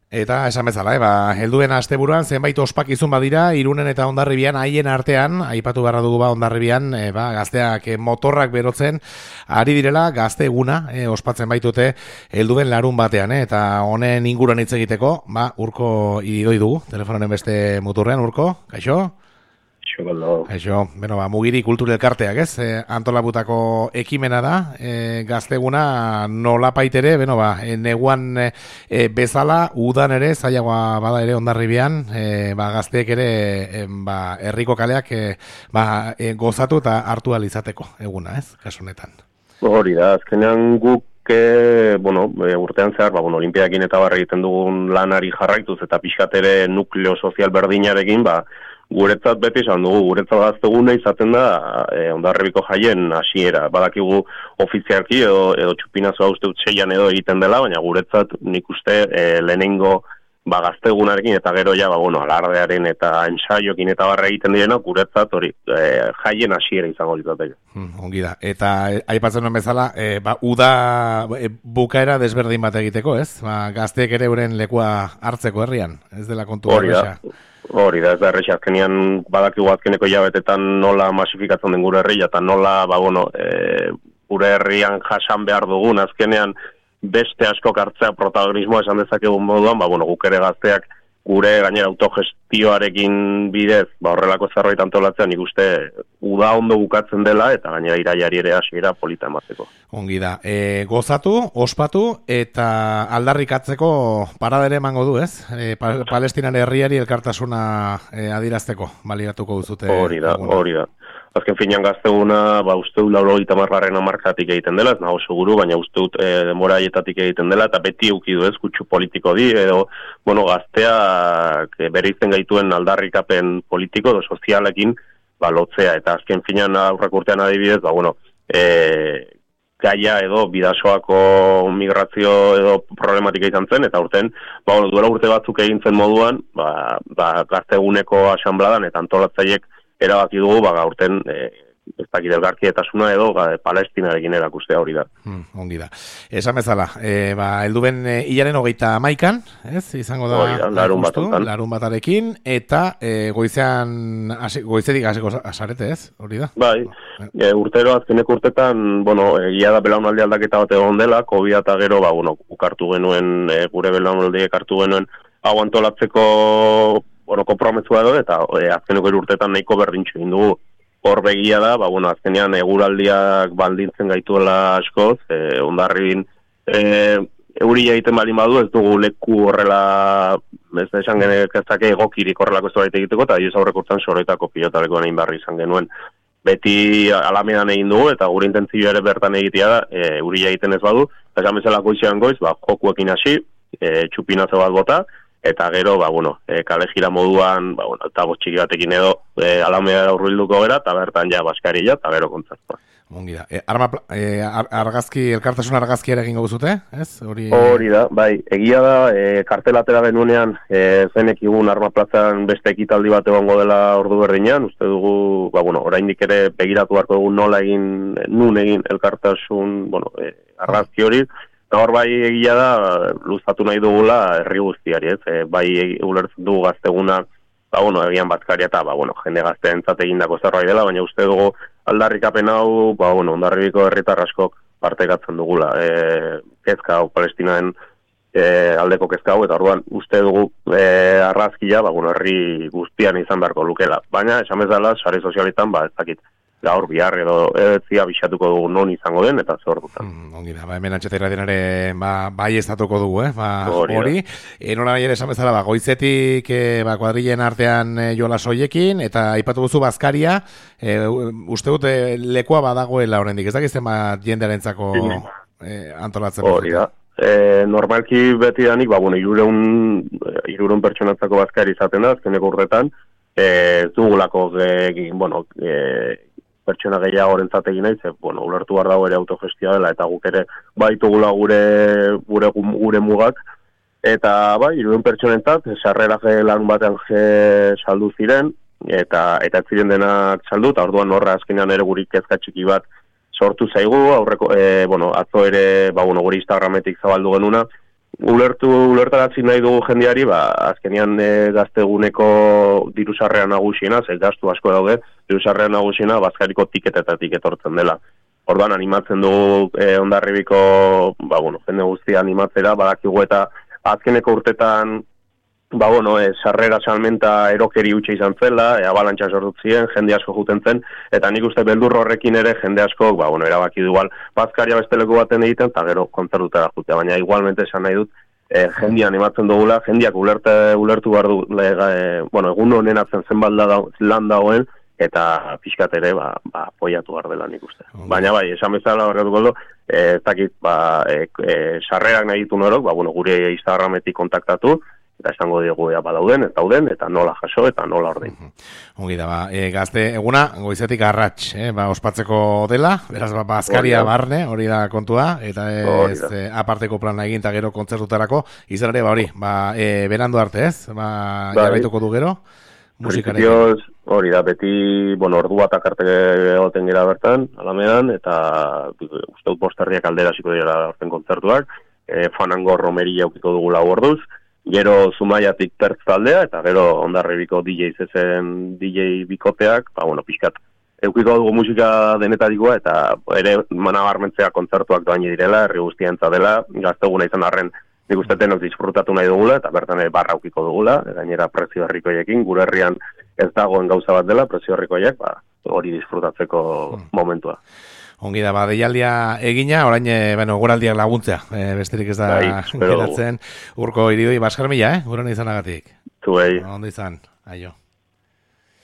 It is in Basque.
Eta esan bezala, helduen asteburuan zenbait ospakizun badira, Irunen eta Hondarribian haien artean, aipatu beharra dugu Hondarribian, gazteak motorrak berotzen, ari direla gazte eguna, ospatzen baitute helduen larun batean, eta honen inguruan hitz egiteko, Urko idoi dugu, telefonoren beste muturrean, Urko, kaixo? Kaixo, Mugiri Kultur Elkarteak, antolabutako ekimena da, gazteguna nolapait ere, neguan bezala, udan ere, zailagoa bada ere Hondarribian, gazteek ere, herriko kaleak gozatu eta hartu alizateko eguna, kasu honetan. Hori da, azkenean guk urtean zehar, olimpiakin eta barra egiten dugun lanari jarraituz eta pixkat ere nukleo sozial berdinarekin, guretzat beti esan dugu, guretzat gazteguna izaten da Hondarribiko jaien hasiera. Badakigu ofizialki edo txupinazoa uste dut 6an edo egiten dela, baina guretzat nik uste lehenengo gaztegunarekin eta gero alardearen eta ensaiokin eta barra egiten direna, guretzat hori jaien hasiera izango litzateke. Ongi da. Eta aipatzen nuen bezala, uda bukaera desberdin bat egiteko, ez? Gazteek ere euren lekua hartzeko herrian, ez dela kontu horreza. Hori da, ez da errexi, azkenean badakigu azkeneko hilabetetan nola masifikatzen den gure herria, eta nola, gure herrian jasan behar dugun, azkenean beste askok hartzea protagonismoa esan dezakegun moduan, guk ere gazteak gure gainera autogestioarekin bidez, horrelako zerbait antolatzen, nik uste uda ondo bukatzen dela, eta gainera iraiari ere hasiera polita emateko. Ongi da, gozatu, ospatu, eta aldarrikatzeko paradere emango du, ez? Palestinan herriari elkartasuna adirazteko, baliratuko duzute. Hori da. Azken finean gazteguna, uste dut 80. hamarkatik egiten dela, ez nago seguru, baina uste dut denbora haietatik egiten dela, eta beti eukidu ez, kutsu politiko di, edo, gazteak bereizten gaituen aldarrikapen politiko edo sozialekin, lotzea, eta azken finean aurrak urtean adibidez, gaia edo bidasoako migrazio edo problematika izan zen, eta urten, duela urte batzuk egin zen moduan, gazteguneko asanbladan eta antolatzaiek erabaki dugu, gaurten ez dakit elgarkietasuna edo Palestinarekin erakustea hori da. Ongi da. Esan bezala, helduben hilaren 31, ez? Izango da larun batarekin, eta goizetik hasiko azarete, ez? Hori da? Bai, urtero azkeneko urtetan, egia da belaunaldi aldaketa bat egon dela, COVID eta gero, ukartu genuen, gure belaunaldiek hartu genuen, hau antolatzeko konpromesua edo, eta azkeneko urtetan nahiko berdintxo egin dugu. Hor begia da, azkenean eguraldiak baldintzen gaituela askoz, Hondarribin euria egiten balin badu, ez dugu leku horrela, ez da esan genezake egokirik horrelako ez da egiteko, eta ez aurreko urtean soroetako pilotaleko egin barri izan genuen. Beti alamedan egin dugu, eta gure intentzioa ere bertan egitea da, euria egiten ez badu, eta esan bezala goizean goiz, jokuekin hasi, txupinazo bat bota, eta gero, kale jira moduan, altabo txiki batekin edo alamea urbilduko gara, eta bertan baskaria, eta gero kontzertua. Ongi da. Elkartasun argazki ere egingo zute, ez? Hori da, bai. Egia da, kartelatera genuenean, zenek igun Arma Plazan beste ekitaldi bat egongo dela ordu berdinean, uste dugu, oraindik ere begiratu beharko dugu nun egin elkartasun, argazki hori. Hor bai egia da, luzatu nahi dugula herri guztiari, ez? Bai ulertzen dugu gazteguna, egian bazkaria eta, jende gazteentzat egindako zerbait dela, baina uste dugu aldarrikapen hau, Hondarribiko herritar askok partekatzen dugula. Kezka hau, Palestinaen aldeko kezka hau, eta orduan uste dugu argazkia, herri guztian izan beharko lukela. Baina, esan bezala, sare sozialetan, ez dakit, gaur bihar edo etzia bisatuko dugu non izango den eta zer dutan. Ongi da, hemen Antxeta denare bai estatuko dugu, hori. Nola nahi ere esan bezala, goizetik kuadrilen artean jola soiekin, eta aipatu duzu bazkaria, uste dut lekua badagoela horrendik, ez dakizten jendearentzako antolatzen. Hori da. Normalki beti danik, 300 pertsonatzako bazkari izaten da, azkeneko urtetan, dugulako pertsona gehiagorentzat egin nahi, ulertu behar dago ere autogestia dela, eta guk ere baitugula gure mugak, eta 300 pertsonentzat, sarrera larun batean saldu ziren, eta ez ziren denak saldu, eta orduan horra azkenean ere guri kezka txiki bat sortu zaigu, atzo ere, gure Instagrametik zabaldu genuna, ulertarazi nahi dugu jendeari, azkenean gazteguneko dirusarrean nagusiena, ze gastu asko daude, dirusarrean nagusiena Bazkairiko tiketetatik etortzen dela. Orduan animatzen dugu Hondarribiko, jende guztia animatzera, badakigu eta azkeneko urtetan sarrera salmenta erokeri utxe izan zela, abalantxa sortu ziren, jende asko juten zen, eta nik uste beldur horrekin ere jende asko, erabaki du igual, Bazkaria beste leku baten egiten, eta gero kontzertutara jutea, baina igualmente esan nahi dut, jendia animatzen dugula, jendiak ulertu behar du, egun honen atzen zenbat lan dagoen, eta pixkat ere, apoiatu behar dela nik uste. Baina esan bezala horretuko du, ez dakit, sarrerak nahi ditu norok, gure Instagrametik kontaktatu, eta esango diegu badauden, ez dauden, eta nola jaso, eta nola ordein. Ongi da, gazte eguna, goizetik arrats, ospatzeko dela, beraz, Bazkaria barne, hori da kontua, eta ez aparteko plana egin, eta gero kontzertutarako, izan ere, berandu arte, ez? Jarraituko du gero, musikarekin. Hori da, beti, ordu bat akarte egoten gira bertan, alamean, eta uste dut bosterriak aldera ziko dira orten kontzertuak, Fanango romeria aukiko dugu lau orduz, gero Zumaiatik tertz taldea, eta gero Hondarribiko DJ zezen DJ bikoteak, pixkat, eukiko dugu musika denetarikoa, eta ere manabarmentzea kontzertuak doaini direla, herri guztiantza dela, gazteguna izan arren, nik uste denok disfrutatu nahi dugula, eta bertan barra aukiko dugula, gainera prezio herrikoiekin, gure herrian ez dagoen gauza bat dela, prezio herrikoiek, hori disfrutatzeko momentua. Ongi da, deialdia egina, orain, guraldiak laguntzea, besterik ez da geratzen, urko iridoi, Baskar mila, guren izanagatik. Zuei. Ondo izan, aio.